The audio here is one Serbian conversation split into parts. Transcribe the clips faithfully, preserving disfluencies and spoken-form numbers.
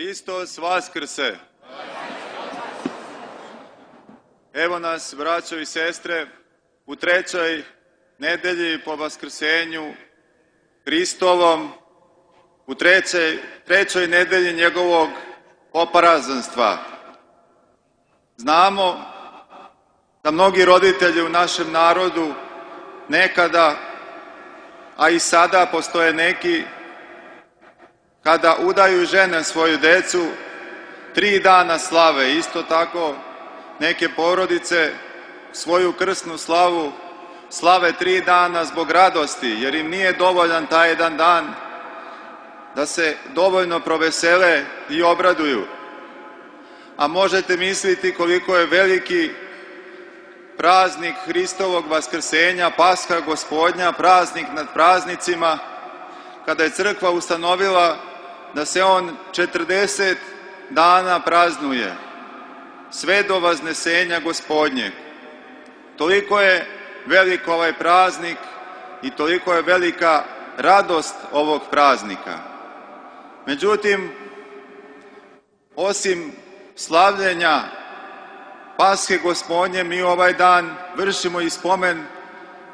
Hristos Vaskrse! Evo nas, braćo i sestre, u trećoj nedelji po Vaskrsenju Hristovom, u trećoj, trećoj nedelji njegovog oparazanstva. Znamo da mnogi roditelji u našem narodu nekada, a i sada postoje neki, kada udaju žene svoju decu, tri dana slave. Isto tako neke porodice svoju krsnu slavu slave tri dana zbog radosti, jer im nije dovoljan taj jedan dan da se dovoljno provesele i obraduju. A možete misliti koliko je veliki praznik Hristovog Vaskrsenja, Pasha Gospodnja, praznik nad praznicima, kada je crkva ustanovila da se on četrdeset dana praznuje, sve do Vaznesenja Gospodnjeg. Toliko je velik ovaj praznik i toliko je velika radost ovog praznika. Međutim, osim slavljenja Pashe Gospodnje, mi ovaj dan vršimo i spomen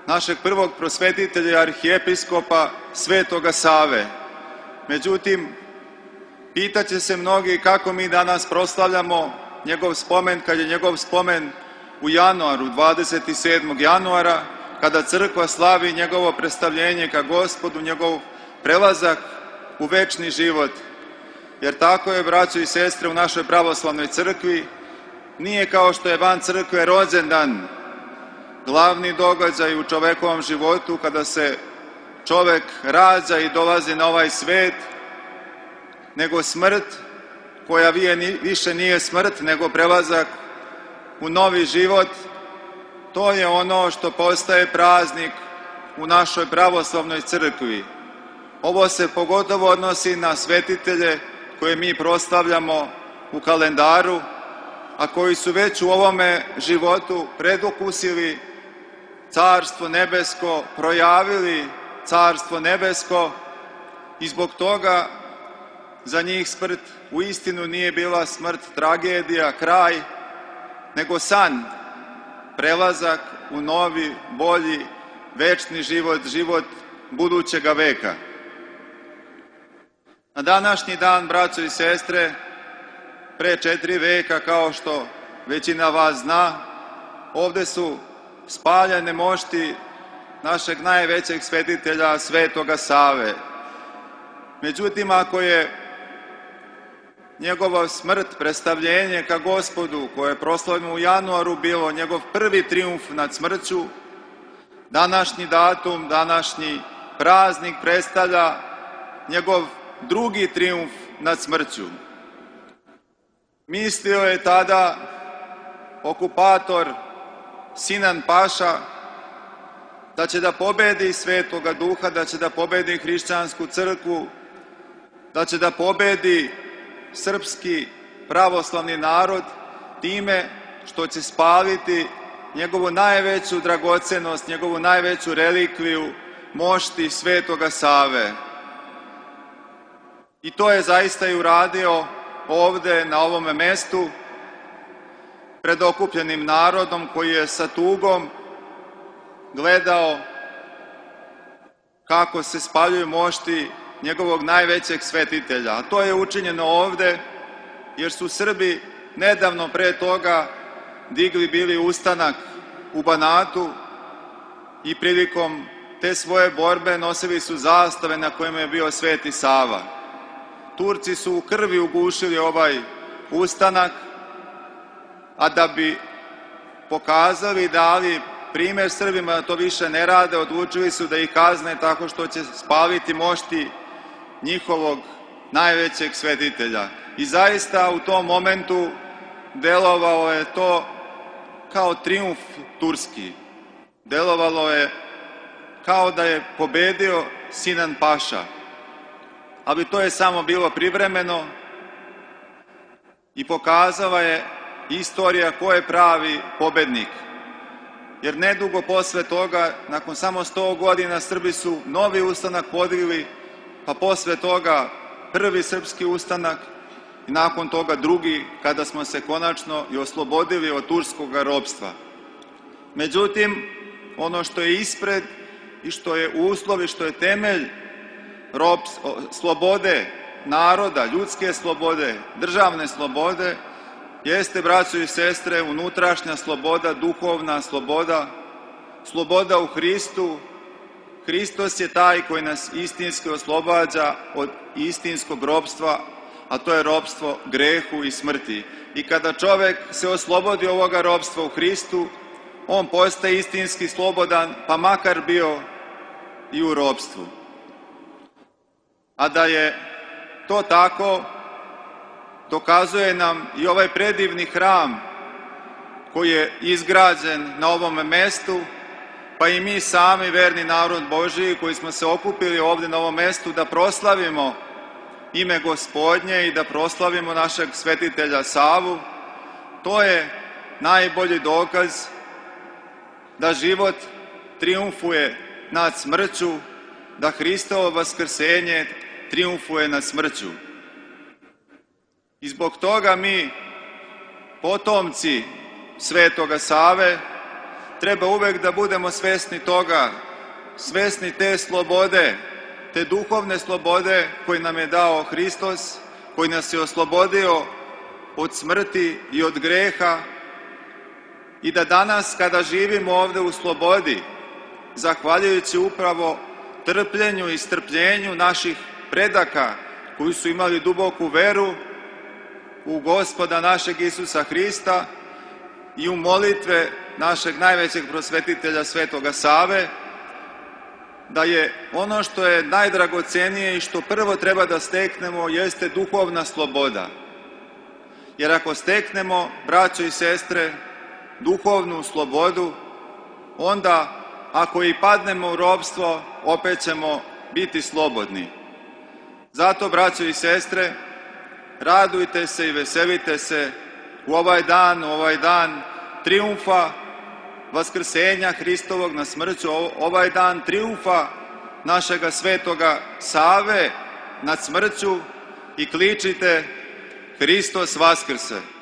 našeg prvog prosvetitelja, arhijepiskopa Svetoga Save. Međutim, pitaće se mnogi kako mi danas proslavljamo njegov spomen, kad je njegov spomen u januaru, dvadeset sedmog januara, kada crkva slavi njegovo predstavljenje ka Gospodu, njegov prelazak u večni život. Jer tako je, braćo i sestre, u našoj pravoslavnoj crkvi, nije kao što je van crkve rođendan glavni događaj u čovekovom životu, kada se čovek rađa i dolazi na ovaj svet, nego smrt, koja više nije smrt, nego prelazak u novi život. To je ono što postaje praznik u našoj pravoslavnoj crkvi. Ovo se pogotovo odnosi na svetitelje koje mi proslavljamo u kalendaru, a koji su već u ovome životu predokusili Carstvo nebesko, projavili Carstvo nebesko, i zbog toga za njih smrt u istinu nije bila smrt, tragedija, kraj, nego san, prelazak u novi, bolji, večni život, život budućega veka. Na današnji dan, braćo i sestre, pre četiri veka, kao što većina vas zna, ovde su spaljene mošti našeg najvećeg svetitelja, Svetoga Save. Međutim, ako je njegova smrt, predstavljenje ka Gospodu, koje je proslavljeno u januaru, bilo njegov prvi trijumf nad smrću, današnji datum, današnji praznik predstavlja njegov drugi trijumf nad smrću. Mislio je tada okupator Sinan Paša da će da pobedi Svetoga Duha, da će da pobedi hrišćansku crkvu, da će da pobedi srpski pravoslavni narod time što će spaliti njegovu najveću dragocenost, njegovu najveću relikviju, mošti Svetoga Save. I to je zaista i uradio ovde, na ovome mestu, pred okupljenim narodom koji je sa tugom gledao kako se spaljuju mošti njegovog najvećeg svetitelja. A to je učinjeno ovde, jer su Srbi nedavno pre toga digli bili ustanak u Banatu i prilikom te svoje borbe nosili su zastave na kojima je bio Sveti Sava. Turci su u krvi ugušili ovaj ustanak, a da bi pokazali, dali primer Srbima da to više ne rade, odlučili su da ih kazne tako što će spaliti mošti njihovog najvećeg svetitelja. I zaista u tom momentu delovalo je to kao trijumf turski. Delovalo je kao da je pobedio Sinan Paša. Ali to je samo bilo privremeno i pokazala je istorija ko je pravi pobednik. Jer nedugo posle toga, nakon samo sto godina, Srbi su novi ustanak podigli, pa posle toga prvi srpski ustanak i nakon toga drugi kada smo se konačno i oslobodili od turskog ropstva. Međutim, ono što je ispred i što je uslov i što je temelj rob, slobode naroda, ljudske slobode, državne slobode, jeste, braćo i sestre, unutrašnja sloboda, duhovna sloboda, sloboda u Hristu. Hristos je taj koji nas istinski oslobađa od istinskog ropstva, a to je ropstvo grehu i smrti. I kada čovek se oslobodi ovoga ropstva u Hristu, on postaje istinski slobodan, pa makar bio i u ropstvu. A da je to tako, dokazuje nam i ovaj predivni hram koji je izgrađen na ovom mestu, pa i mi sami, verni narod Božiji, koji smo se okupili ovde na ovom mestu da proslavimo ime Gospodnje i da proslavimo našeg svetitelja Savu, to je najbolji dokaz da život trijumfuje nad smrću, da Hristovo vaskrsenje trijumfuje nad smrću. I zbog toga mi, potomci Svetoga Save, treba uvek da budemo svesni toga, svesni te slobode, te duhovne slobode koju nam je dao Hristos, koji nas je oslobodio od smrti i od greha, i da danas kada živimo ovde u slobodi, zahvaljujući upravo trpljenju i strpljenju naših predaka koji su imali duboku veru u Gospoda našeg Isusa Hrista i u molitve našeg najvećeg prosvetitelja Svetoga Save, da je ono što je najdragocenije i što prvo treba da steknemo jeste duhovna sloboda. Jer ako steknemo, braćo i sestre, duhovnu slobodu, onda ako i padnemo u ropstvo, opet ćemo biti slobodni. Zato, braćo i sestre, radujte se i veselite se u ovaj dan, u ovaj dan trijumfa vaskrsenja Hristovog na smrću, ovaj dan trijumfa našega Svetoga Save nad smrću, i kličite: Hristos vaskrse!